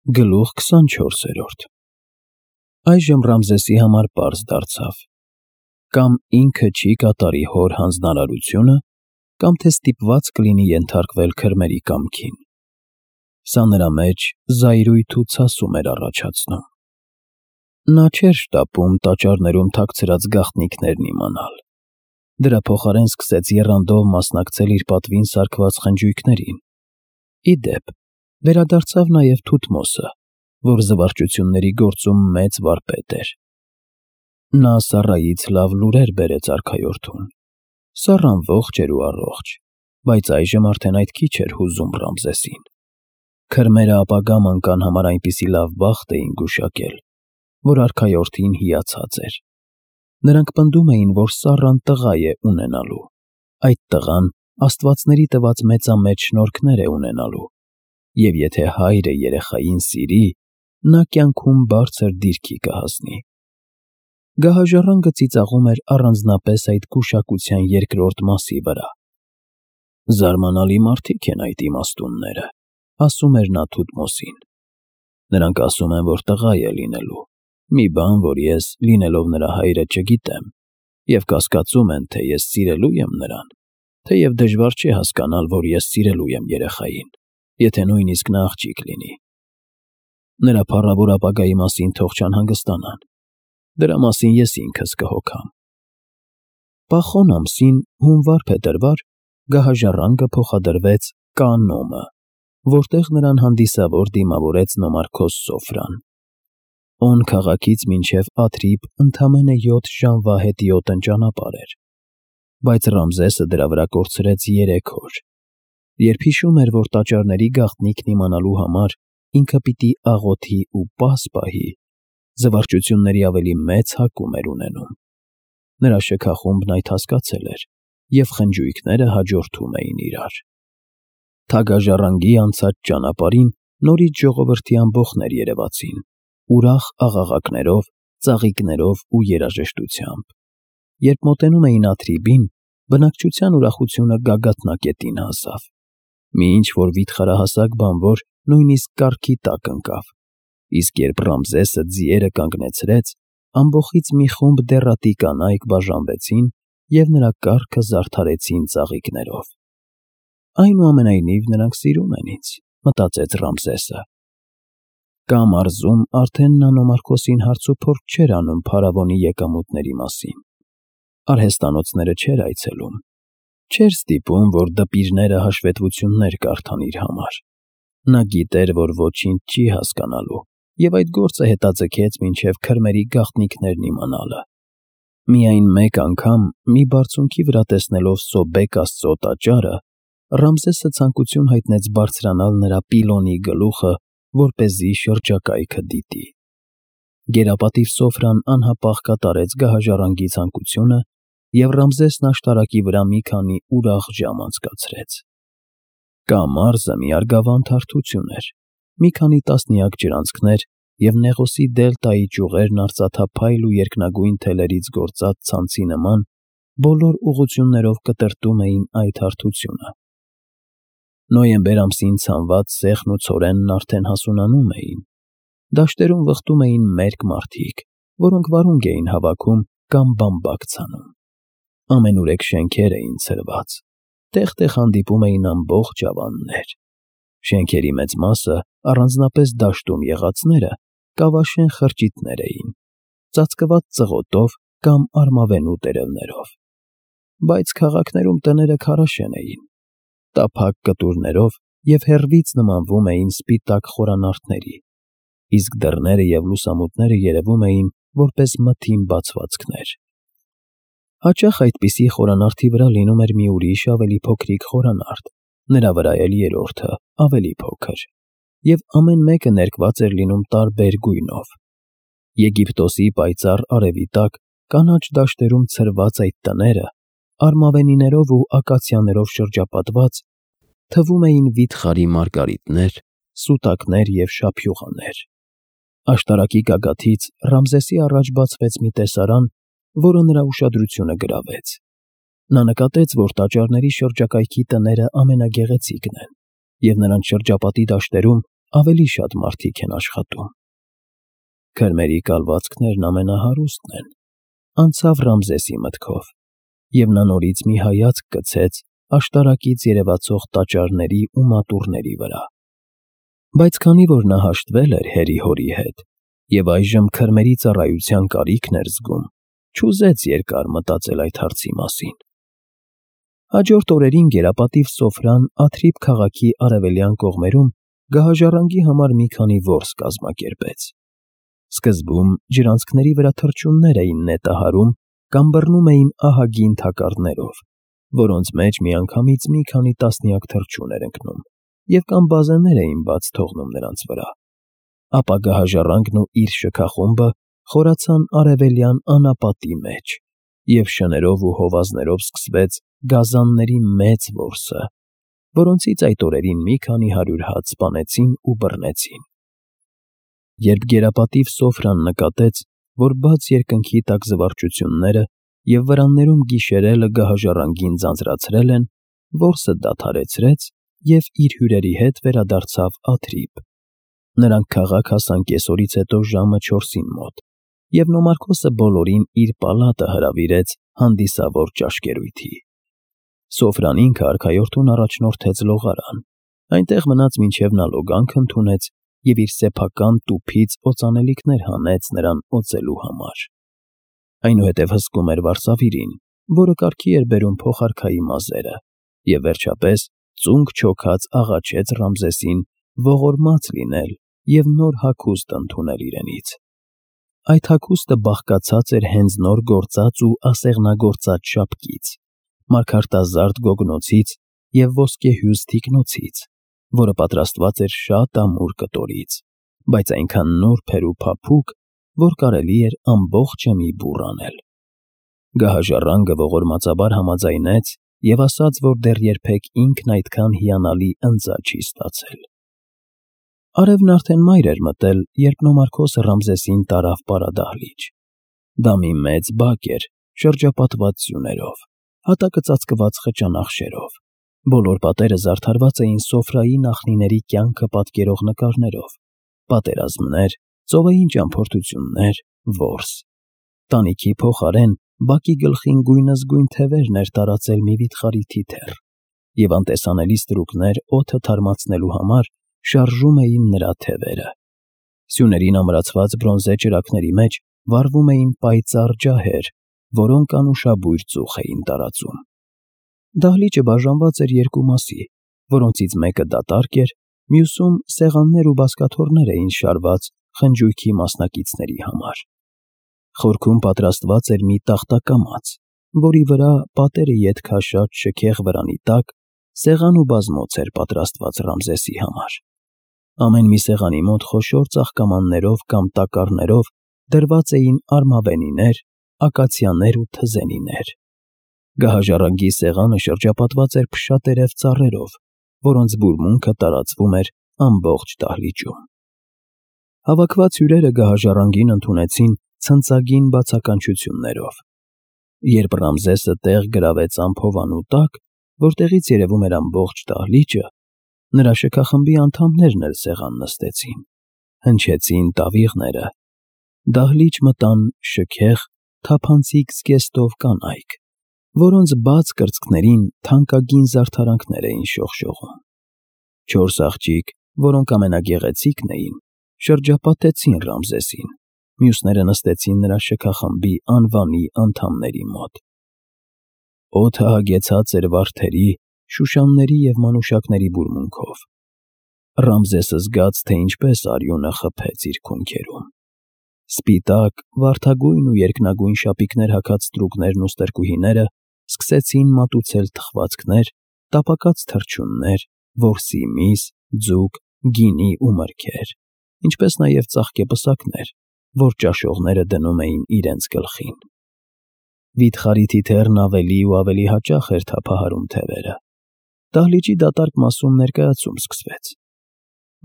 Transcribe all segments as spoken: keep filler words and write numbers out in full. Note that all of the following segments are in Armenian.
Գլուխ քսանչորսերորդ Այժմ Ռամզեսի համար պարզ դարձավ. կամ ինքը չի կատարի հոր հանձնարարությունը, կամ թե ստիպված կլինի ենթարկվել քրմերի կամքին. սա նրա մեջ զայրույթ ու ցասում էր առաջացնում։ Նա չէր շտապում տաճարներում թաքցրած գաղտնիքներն իմանալ, դրա փոխարեն սկսեց եռանդով մասնակցել իր պատվին սարքված խնջույքներին։ Ի դեպ, վերադարձավ նաև Թութմոսը, որ զվարճությունների գործում մեծ վարպետ էր։ Նա Սառայից լավ լուրեր բերեց արքայորդուն։ Սառան ողջ էր ու առողջ, բայց այժմ արդեն այդ քիչ էր հուզում Ռամզեսին։ Քրմերը ապագա մանկան համար այնպիսի լավ բախտ էին գուշակել, որ արքայորդին հիացած էր։ Նրանք պնդում էին, որ Սառան տղա է ունենալու, այդ տղան աստվածների տված մեծամեծ շնորհքներ է ունենալու, և եթե հայրը երեխային սիրի, նա կյանքում բարձր դիրքի կհասնի։ Գահաժառանգը ծիծաղում էր առանձնապես այդ գուշակության երկրորդ մասի վրա։ Զարմանալի մարդիկ են այդ իմաստունները, ասում էր նա Թութմոսին։ Նրանք ասում են, որ տղա է լինելու, մի բան, որ ես, լինելով նրա հայրը, չգիտեմ, և կասկածում են, թե ես սիրելու եմ նրան, թեև դժվար չէ հասկանալ, որ ես սիրելու եմ երեխային, եթե նույնիսկ նա աղջիկ լինի։ Նրա փառավոր ապագայի մասին թող չանհանգստանան, դրա մասին ես ինքս կհոգամ։ Պախոն ամսին, հունվար փետրվար, գահաժառանգը փոխադրվեց Կանոմը, որտեղ նրան հանդիսավոր դիմավորեց Նոմարքոս Սոֆրան։ Օն քաղաքից մինչև Աթրիբ ընդամենը յոթ ժամվա հետիոտն ճանապարհ էր, բայց Ռամզեսը դրա վրա կորցրեց երեք օր։ Երբ հիշում էր, որ տաճարների գաղտնիքն իմանալու համար ինքը պիտի աղոթի ու պաս պահի, զվարճությունների ավելի մեծ հակում էր ունենում։ Նրա շքախումբն այդ հասկացել էր, և խնջույքները հաջորդում էին իրար։ Թագաժառանգի անցած ճանապարհին նորից ժողովրդի ամբոխներ երևացին, ուրախ աղաղակներով, ծաղիկներով ու երաժշտությամբ։ Երբ մոտենում էին Աթրիբին, բնակչության ուրախությունը գագաթնակետին հասավ։ Մի ինչ-որ վիթխարահասակ բանվոր նույնիսկ կառքի տակ ընկավ, իսկ երբ Ռամզեսը ձիերը կանգնեցրեց, ամբոխից մի խումբ դեռատի կանայք բաժանվեցին և նրա կառքը զարդարեցին ծաղիկներով։ Այնուամենայնիվ նրանք սիրում են ինձ, մտածեց Ռամզեսը։ Կամ մարզում արդեն նա Նոմարքոսին հարցուփորձ չէր անում փարավոնի եկամուտների մասին։ Արհեստանոցները չէր այցելում, չէր ստիպում, որ դպիրները հաշվետվություններ կարդան իր համար։ Նա գիտեր, որ ոչինչ չի հասկանալու, և այդ գործը հետաձգեց մինչև քրմերի գաղտնիքներն իմանալը։ Միայն մեկ անգամ, մի բարձունքի վրա տեսնելով Սոբեկ աստծո տաճարը, Ռամզեսը ցանկություն հայտնեց բարձրանալ նրա պիլոնի գլուխը, որպեսզի շրջակայքը դիտի։ Գերապատիվ Սոֆրան անհապաղ կատարեց գահաժառանգի ցանկությունը, և Ռամզեսն աշտարակի վրա մի քանի ուրախ ժամ անցկացրեց։ Կամարզը մի արգավանդ հարթություն էր, մի քանի տասնյակ ջրանցքներ և Նեղոսի դելտայի ճյուղերն արծաթափայլ ու երկնագույն թելերից գործած ցանցի նման բոլոր ուղղություններով կտրտում էին այդ հարթությունը։ Նոյեմբեր ամսին ցանված սեղն ու ցորենն արդեն հասունանում էին։ Դաշտերում վխտում էին մերկ մարդիկ, որոնք վարունգ էին հավաքում կամ բամբակ ցանում։ Ամենուրեք շենքեր էին ցրված, տեղ֊տեղ հանդիպում էին ամբողջ ավաններ։ Շենքերի մեծ մասը, առանձնապես դաշտում եղածները, կավաշեն խրճիթներ էին, ծածկված ծղոտով կամ արմավենու տերևներով։ Բայց քաղաքներում տները քարաշեն էին, տափակ կտուրներով և հեռվից նմանվում էին սպիտակ խորանարդների, իսկ դռները և լուսամուտները երևում էին որպես մթին բացվածքներ։ Հաճախ այդպիսի խորանարդի վրա լինում էր մի ուրիշ ավելի փոքրիկ խորանարդ, նրա վրա էլ երրորդը, ավելի փոքր, և ամեն մեկը ներկված էր լինում տարբեր գույնով։ Եգիպտոսի պայծառ արևի տակ կանաչ դաշտերում ցրված այդ տները, արմավենիներով ու ակացիաներով շրջապատված, թվում էին վիթխարի մարգարիտներ, սուտակներ և շափյուղաներ։ Աշտարակի գագաթից Ռամզեսի առաջ բացվեց մի տեսարան, որը նրա ուշադրությունը գրավեց։ Նա նկատեց, որ տաճարների շրջակայքի տները ամենագեղեցիկն են, և նրանց շրջապատի դաշտերում ավելի շատ մարդիկ են աշխատում։ Քրմերի կալվածքներն ամենահարուստն են, անցավ Ռամզեսի մտքով, և նա նորից մի հայացք գցեց աշտարակից երևացող տաճարների ու մատուռների վրա։ Բայց քանի որ նա հաշտվել էր հերի֊հորի հետ և այժմ քրմերի ծառայության կարիքն էր զգում, չուզեց երկար մտածել այդ հարցի մասին։ Հաջորդ օրերին գերապատիվ Սոֆրան Աթրիբ քաղաքի արևելյան կողմերում գահաժառանգի համար մի քանի որս կազմակերպեց։ Սկզբում ջրանցքների վրա թռչուններ էին նետահարում կամ բռնում էին ահագին թակարդներով, որոնց մեջ միանգամից մի քանի տասնյակ թռչուն էր ընկնում, և կամ բազեներ էին բաց թողնում նրանց վրա։ Ապա գահաժառանգն ու իր շքախումբը խորացան արևելյան անապատի մեջ, և շներով ու հովազներով սկսվեց գազանների մեծ որսը, որոնցից այդ օրերին մի քանի հարյուր հատ սպանեցին ու բռնեցին։ Երբ գերապատիվ Սոֆրան նկատեց, որ բաց երկնքի տակ զվարճությունները և վրաններում գիշերելը գահաժառանգին ձանձրացրել են, որսը դադարեցրեց և իր հյուրերի հետ վերադարձավ Աթրիբ։ Նրանք քաղաք հասան կեսօրից հետո ժամը չորսին մոտ, և Նոմարքոսը բոլորին իր պալատը հրավիրեց հանդիսավոր ճաշկերույթի։ Սոֆրան ինքը արքայորդուն առաջնորդեց լողարան, այնտեղ մնաց մինչև նա լոգանք ընդունեց և իր սեփական տուփից օծանելիքներ հանեց նրան օծելու համար։ Այնուհետև հսկում էր վարսավիրին, որը կարգի էր բերում փոխարքայի մազերը, և վերջապես ծունկ չոքած աղաչեց Ռամզեսին ողորմած լինել և նոր հագուստ ընդունել իրենից։ Այդ հագուստը բաղկացած էր հենց նոր գործած ու ասեղնագործած շապկից, մարգարտազարդ գոգնոցից և ոսկեհյուզ թիկնոցից, որը պատրաստված էր շատ ամուր կտորից, բայց այնքան նուրբ էր ու փափուկ, որ կարելի էր ամբողջը մի բուռ անել։ Գահաժառանգը ողորմածաբար համաձայնեց և ասաց, որ դեռ երբեք ինքն այդքան հիանալի ընձա չի ստացել։ Արևն արդեն մայր էր մտել, երբ Նոմարքոսը Ռամզեսին տարավ պարադահլիճ։ Դա մի մեծ բակ էր, շրջապատված սյուներով, հատակը ծածկված խճանախշերով։ Բոլոր պատերը զարդարված էին Սոֆրայի նախնիների կյանքը պատկերող նկարներով, պատերազմներ, ծովային ճամփորդություններ, որս։ Տանիքի փոխարեն բակի գլխին գույնզգույն թևերն էր տարածել մի վիթխարի թիթեռ, և անտեսանելի ստրուկներ օդը թարմացնելու համար շարժում էին նրա թևերը։ Սյուներին ամրացված բրոնզե ճրագների մեջ վառվում էին պայծառ ջահեր, որոնք անուշաբույր ծուխ էին տարածում։ Դահլիճը բաժանված էր երկու մասի, որոնցից մեկը դատարկ էր, մյուսում սեղաններ ու բազկաթոռներ էին շարված խնջույքի մասնակիցների համար։ Խորքում պատրաստված էր մի տախտակամաց, որի վրա, պատերը ետ քաշած շքեղ վրանի տակ, սեղան ու բազմոց էր պատրաստված Ռամզեսի համար։ Ամեն մի սեղանի մոտ խոշոր ծաղկամաններով կամ տակառներով դրված էին արմավենիներ, ակացիաներ ու թզենիներ։ Գահաժառանգի սեղանը շրջապատված էր փշատերև ծառերով, որոնց բուրմունքը տարածվում էր ամբողջ դահլիճում։ Հավաքված հյուրերը գահաժառանգին ընդունեցին ցնծագին բացականչություններով։ Երբ Ռամզեսը տեղ գրավեց ամփովանու տակ, որտեղից երևում էր ամբողջ դահլիճը, նրա շքախմբի անդամներն էլ սեղան նստեցին, հնչեցին տավիղները, դահլիճ մտան շքեղ, թափանցիկ զգեստով կանայք, որոնց բաց կրծքներին թանկագին զարդարանքներ էին շողշողում։ Չորս աղջիկ, որոնք ամենագեղեցիկն էին, շրջապատեցին Ռամզեսին, մյուսները նստեցին նրա շքախմբի անվանի անդամների մոտ։ Օդը հագեցած էր վարդերի, շուշանների և մանուշակների բուրմունքով։ Ռամզեսը զգաց, թե ինչպես արյունը խփեց իր քունքերում։ Սպիտակ, վարդագույն ու երկնագույն շապիկներ հագած ստրուկներն ու ստրկուհիները սկսեցին մատուցել թխվածքներ, տապակած թռչուններ, որսի միս, ձուկ, գինի ու մրգեր, ինչպես նաև ծաղկեպսակներ, որ ճաշողները դնում էին իրենց գլխին։ Վիթխարի թիթեռն ավելի ու ավելի հաճախ էր թափահարում թևերը։ Դահլիճի դատարկ մասում ներկայացում սկսվեց։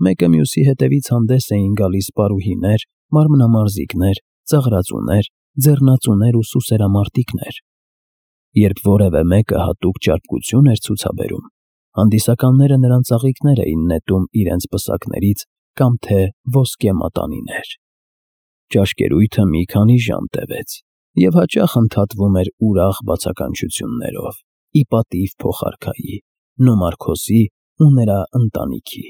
Մեկը մյուսի հետևից հանդես էին գալիս պարուհիներ, մարմնամարզիկներ, ծաղրածուներ, ձեռնածուներ ու սուսերամարտիկներ։ Երբ որևէ մեկը հատուկ ճարպկություն էր ցուցաբերում, հանդիսականները նրան ծաղիկներ էին նետում իրենց պսակներից կամ թե ոսկե մատանիներ։ Ճաշկերույթը մի քանի ժամ տևեց և հաճախ ընդհատվում էր ուրախ բացականչություններով ի պատիվ փոխարքայի, Նոմարքոսի ու նրա ընտանիքի։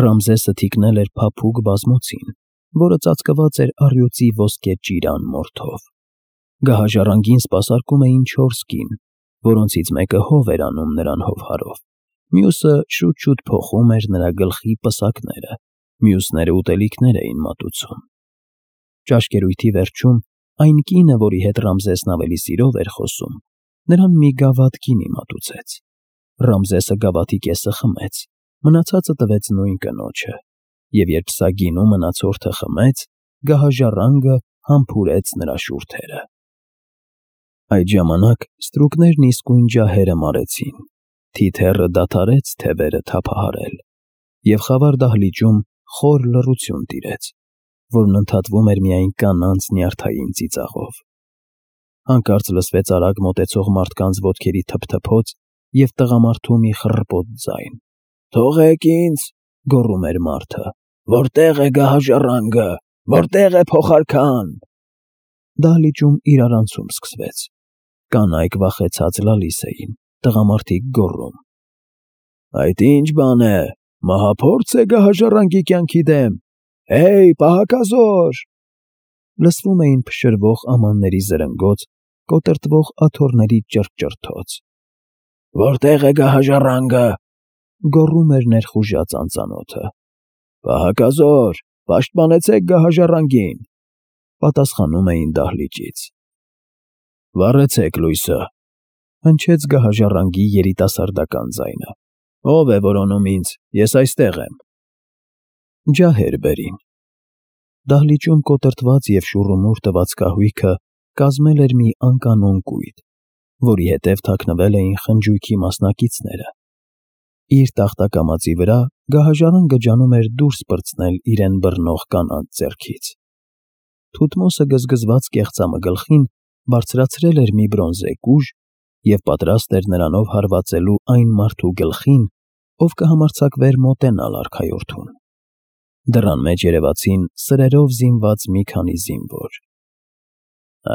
Ռամզեսը թիկնել էր փափուկ բազմոցին, որը ծածկված էր առյուծի ոսկե ճիրան մորթով։ Գահաժառանգին սպասարկում էին չորս կին, որոնցից մեկը հով էր անում նրան հովհարով, մյուսը շուտ-շուտ փոխում էր նրա գլխի պսակները, մյուսները ուտելիքներ էին մատուցում։ Ճաշկերույթի վերջում այն կինը, որի հետ Ռամզեսն ավելի սիրով էր խոսում, նրան մի գավաթ գինի մատուցեց։ Ռամզեսը գավաթի կեսը խմեց, մնացածը տվեց նույն կնոջը, և երբ սա գինու մնացորդը խմեց, գահաժառանգը համբուրեց նրա շուրթերը։ Այդ ժամանակ ստրուկներն իսկույն ջահերը մարեցին, թիթեռը դադարեց թևերը թափահարել, և խավար դահլիճում խոր լռություն տիրեց, որն ընդհատվում էր միայն կանանց նյարդային ծիծաղով։ Հանկարծ լսվեց արագ մոտեցող մարդկանց ոտքերի թփթփոց և տղամարդու մի խռպոտ ձայն։ «Թողեք ինձ», գոռում էր մարդը, «որտե՞ղ է գահաժառանգը, որտե՞ղ է փոխարքան»։ Դահլիճում իրարանցում սկսվեց։ Կանայք վախեցած լալիս էին, տղամարդիկ գոռում. «Այդ ի՞նչ բան է, մահափո՞րձ է գահաժառանգի կյանքի դեմ, հե՜յ, պահակազոր»։ Լսվում էին փշրվող ամանների զրնգոց, կոտրտվող աթոռների ճռճռթոց։ «Որտե՞ղ է գահաժառանգը», գոռում էր ներխուժած անծանոթը։ «Պահակազոր, պաշտպանեցեք գահաժառանգին», պատասխանում էին դահլիճից։ «Վառեցեք լույսը», հնչեց գահաժառանգի երիտասարդական ձայնը։ «Ո՞վ է որոնում ինձ, ես այստեղ եմ»։ Ջահեր բերին։ Դահլիճում կոտրտված և շուռումուռ տված կահույքը կազմել էր մի անկանոն կույտ, որի հետև թաքնվել էին խնջույքի մասնակիցները։ Իր տախտակամածի վրա գահաժառանգը ջանում էր դուրս պրծնել իրեն բռնող կանանց ձեռքից։ Թութմոսը գզգզված կեղծամը գլխին բարձրացրել էր մի բրոնզե կուժ և պատրաստ էր նրանով հարվածելու այն մարդու գլխին, ով կհամարձակվեր մոտենալ արքայորդուն։ Դռան մեջ երևացին սրերով զինված մի քանի զինվոր։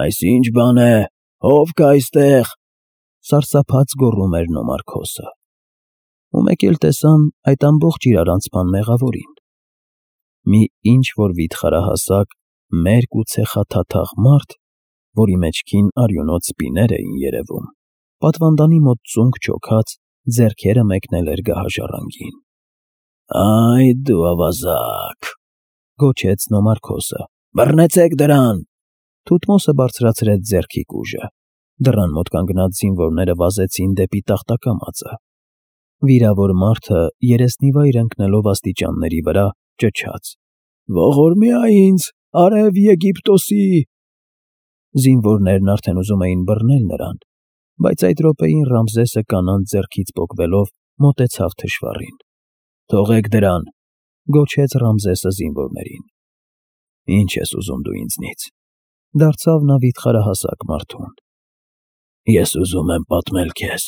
«Այս ի՞նչ բան է, ո՞վ կա այստեղ», սարսափած գոռում էր Նոմարքոսը։ Ու մեկ էլ տեսան այդ ամբողջ իրարանցման մեղավորին։ Մի ինչ֊որ վիթխարահասակ, մերկ ու ցեխաթաթախ մարդ, որի մեջքին արյունոտ սպիներ էին երևում, պատվանդանի մոտ ծունկ չոքած, ձեռքերը մեկնել էր գահաժառանգին։ «Այ դու ավազակ», գոչեց Նոմարքոսը, «բռնեցեք դրան»։ Թութմոսը բարձրացրեց ձեռքի կուժը։ Դռան մոտ կանգնած զինվորները վազեցին դեպի տախտակամածը։ Վիրավոր մարդը, երեսնիվայր ընկնելով աստիճանների վրա, ճչաց. «Ողորմյա ինձ, արև Եգիպտոսի»։ Զինվորներն արդեն ուզում էին բռնել նրան, բայց այդ րոպեին Ռամզեսը կանանց ձեռքից պոկվելով մոտեցավ թշվառին։ «Թողեք դրան», գոչեց Ռամզեսը զինվորներին։ «Ինչ ես ուզում դու ինձնից», դարձավ նա վիթխարահասակ մարդուն։ «Ես ուզում եմ պատմել քեզ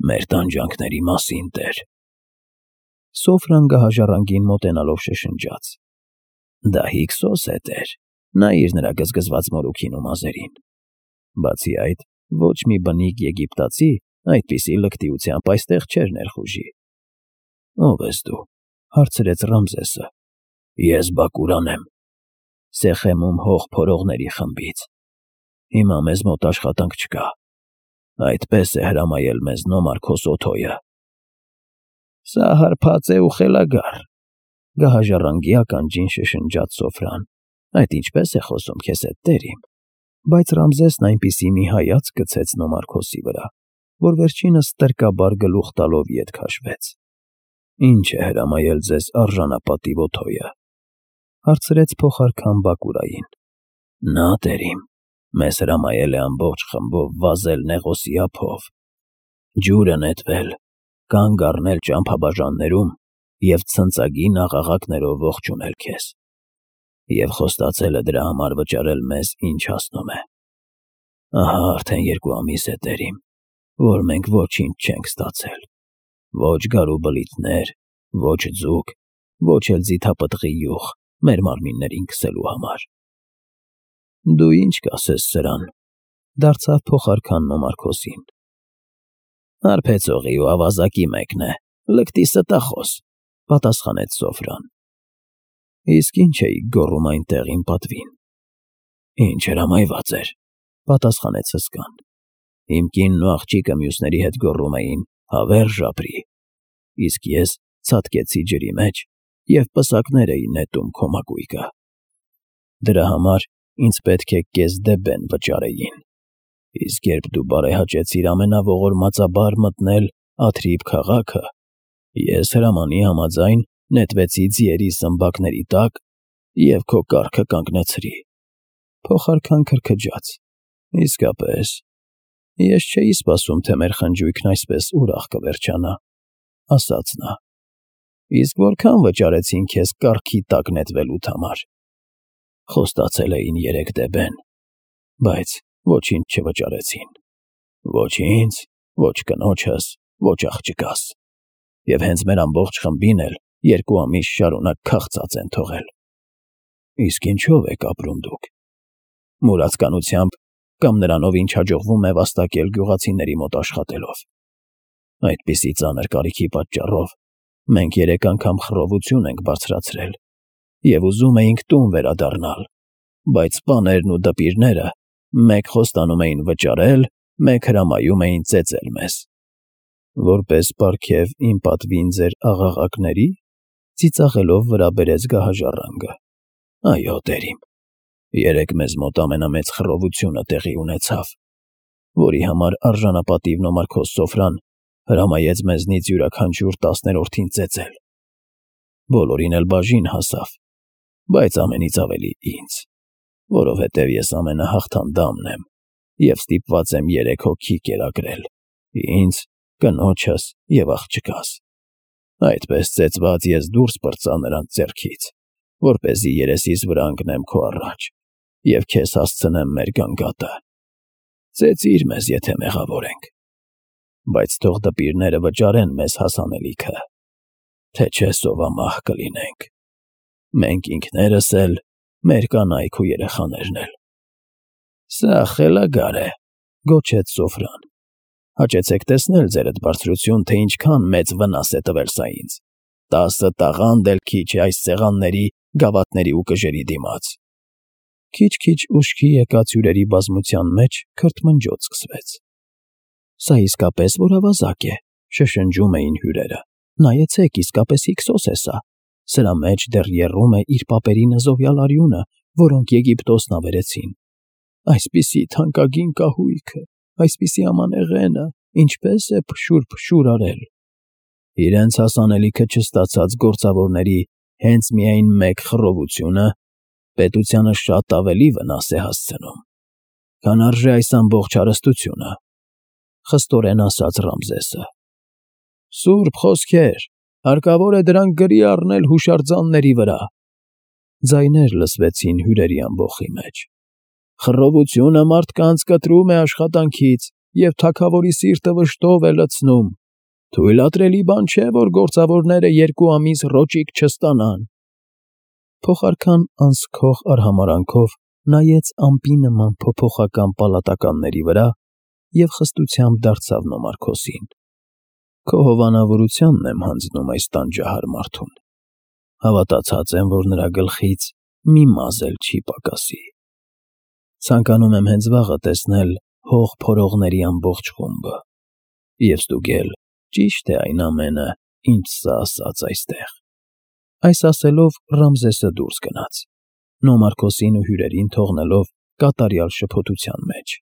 մեր տանջանքների մասին, տեր»։ Սոֆրան գահաժառանգին մոտենալով շշնջաց. «Դա Հիքսոս է, տեր, նայիր նրա գզգզված մորուքին ու մազերին։ Բացի այդ, ոչ մի բնիկ եգիպտացի այդպիսի լկտիությամբ այստեղ չէր ներխուժի»։ «Ո՞վ ես դու», հարցրեց Ռամզեսը։ «Ես Բակուրան եմ, Սեխեմում հող փորողների խմբից։ Հիմա մեզ մոտ աշխատանք չկա, այդպես է հրամայել մեզ Նոմարքոս Օթոյը»։ «Սա հարբած է ու խելագար», գահաժառանգի ականջին շշնջաց Սոֆրան։ «Այդ ինչպե՞ս է խոսում քեզ հետ, տեր իմ»։ Բայց Ռամզեսն այնպիսի մի հայացք գցեց Նոմարքոսի վրա, որ վերջինս ստրկաբար գլուխ տալով ետ քաշվեց։ «Ինչ է հրամայել ձեզ արժանապատիվ Օթոյը», հարցրեց փոխարքան Բակուրային։ «Նա, տեր իմ, մեզ հրամայել է ամբողջ խմբով վազել Նեղոսի ափով, ջուրը նետվել, կանգ առնել ճամփաբաժաններում և ցնծագին աղաղակներով ողջունել քեզ, և խոստացել է դրա համար վճարել մեզ ինչ հասնում է։ Ահա արդեն երկու ամիս է, տեր իմ, որ մենք ոչինչ չենք ստացել, ոչ գարու բլիթներ, ոչ ձուկ, ոչ էլ ձիթապտղի յուղ մեր մարմիններին քսելու համար։ Դու ինչ կասես սրան, դարձավ փոխարքանն Օմար-Քոսին։ Հարբեցողի ու ավազակի մեկն է, լկտի ստախոս, պատասխանեց Սոֆրան։ Իսկ ինչ էիք գոռում այնտեղ իմ պատվին։ Ինչ հրամայված էր, պատասխանեց հսկան։ Իմ կինն ու աղջիկը մյուսների հետ գոռում էին հավերժ ապրի, իսկ ես ցատկեցի ջրի մեջ և պսակներ էի նետում քո մակույկը։ Դրա համար ինձ պետք է կես դեբեն վճարեին, իսկ երբ դու բարեհաճեցիր ամենաողորմածաբար մտնել Աթրիբ քաղաքը, ես հրամանի համաձայն նետվեցի ձիերի սմբակների տակ և քո կառքը կանգնեցրի։ Փոխարքան քրքջաց. Իսկապես, ես չէի սպասում, թե մեր խնջույքն այսպես ուրախ կվերջանա, ասաց նա։ Իսկ որքան վճարեցին քեզ կառքի տակ նետվելուդ համար։ Խոստացել էին երեք դեբեն, բայց ոչինչ չվճարեցին։ Ոչ ինձ, ոչ կնոջս, ոչ աղջկաս, և հենց մեր ամբողջ խմբին էլ երկու ամիս շարունակ քաղցած են թողել։ Իսկ ինչո՞վ եք ապրում դուք։ Մուրացկանությամբ կամ նրանով, ինչ հաջողվում է վաստակել գյուղացիների մոտ աշխատելով։ Այդպիսի ծանր կարիքի պատճառով մենք երեք անգամ խռովություն ենք բարձրացրել և ուզում էինք տուն վերադառնալ, բայց պաներն ու դպիրները մեկ խոստանում էին վճարել, մեկ հրամայում էին ծեծել մեզ։ Որպես պարգև իմ պատվին ձեր աղաղակների, ծիծաղելով վրա բերեց գահաժառանգը։ Այո, տերիմ, երեկ մեզ մոտ ամենամեծ խռովությունը տեղի ունեցավ, որի համար արժանապատիվն Օմար-Քոս Սոֆրան հրամայեց մեզնից յուրաքանչյուր տասներորդին ծեծել։ Բոլորին էլ բաժին հասավ, բայց ամենից ավելի ինձ, որովհետև ես ամենահաղթանդամն եմ և ստիպված եմ երեք հոգի կերակրել՝ ինձ, կնոջս և աղջկաս։ Այդպես ծեծված ես դուրս պրծա նրանց ձեռքից, որպեսզի երեսիս վրա ընկնեմ քո առաջ և քեզ հասցնեմ մեր գանգատը։ Ծեծիր մեզ, եթե մեղավոր ենք, բայց թող դպիրները վճարեն մեզ հասանելիքը, թե չէ սովամահ կլինենք։ Մենք ինքներս էլ, մեր կանայք ու երեխաներն էլ։ Սա խելագար է, գոչեց Սոֆրան։ Հաճեցեք տեսնել, ձերդ բարձրություն, թե ինչքան մեծ վնաս է տվել սա ինձ։ Տասը տաղանդ էլ քիչ է այս սեղանների, գավաթների ու կժերի դիմաց։ Քիչ-քիչ ուշքի եկած հյուրերի բազմության մեջ քրթմնջոց սկսվեց։ Սա իսկապես որ ավազակ է, շշնջում էին հյուրերը։ Նայեցեք, իսկապես Հիքսոս է սա։ Սրա մեջ դեռ եռում է իր պապերի նզովյալ արյունը, որոնք Եգիպտոսն ավերեցին։ Այսպիսի թանկագին կահույքը, այսպիսի ամանեղենը, ինչպես է փշուր-փշուր արել։ Իրենց հասանելիքը չստացած գործավորների հենց միայն մեկ խռովությունը պետությանը շատ ավելի վնաս է հասցնում, քան արժե այս ամբողջ հարստությունը, խստորեն ասաց Ռամզեսը։ Սուրբ խոսքեր, հարկավոր է դրանք գրի առնել հուշարձանների վրա։ Ձայներ լսվեցին հյուրերի ամբոխի մեջ։ Խռովությունը մարդկանց կտրում է աշխատանքից և թագավորի սիրտը վշտով է լցնում։ Թույլատրելի բան չէ, որ գործավորները երկու ամիս ռոճիկ չստանան։ Փոխարքան անսքող արհամարհանքով նայեց ամպի նման փոփոխական պալատականների վրա և խստությամբ դարձավ Օմար-Քոսին։ Քո հովանավորությանն եմ հանձնում այս տանջահար մարդուն։ Հավատացած եմ, որ նրա գլխից մի մազ էլ չի պակասի։ Ցանկանում եմ հենց վաղը տեսնել հող փորողների ամբողջ խումբը և ստուգել, ճի՞շտ է այն ամենը, ինչ սա ասաց այստեղ։ Այս ասելով Ռամզեսը դուրս գնաց, Օմար֊Քոսին ու հյուրերին թողնելով կատարյալ շփոթության մեջ։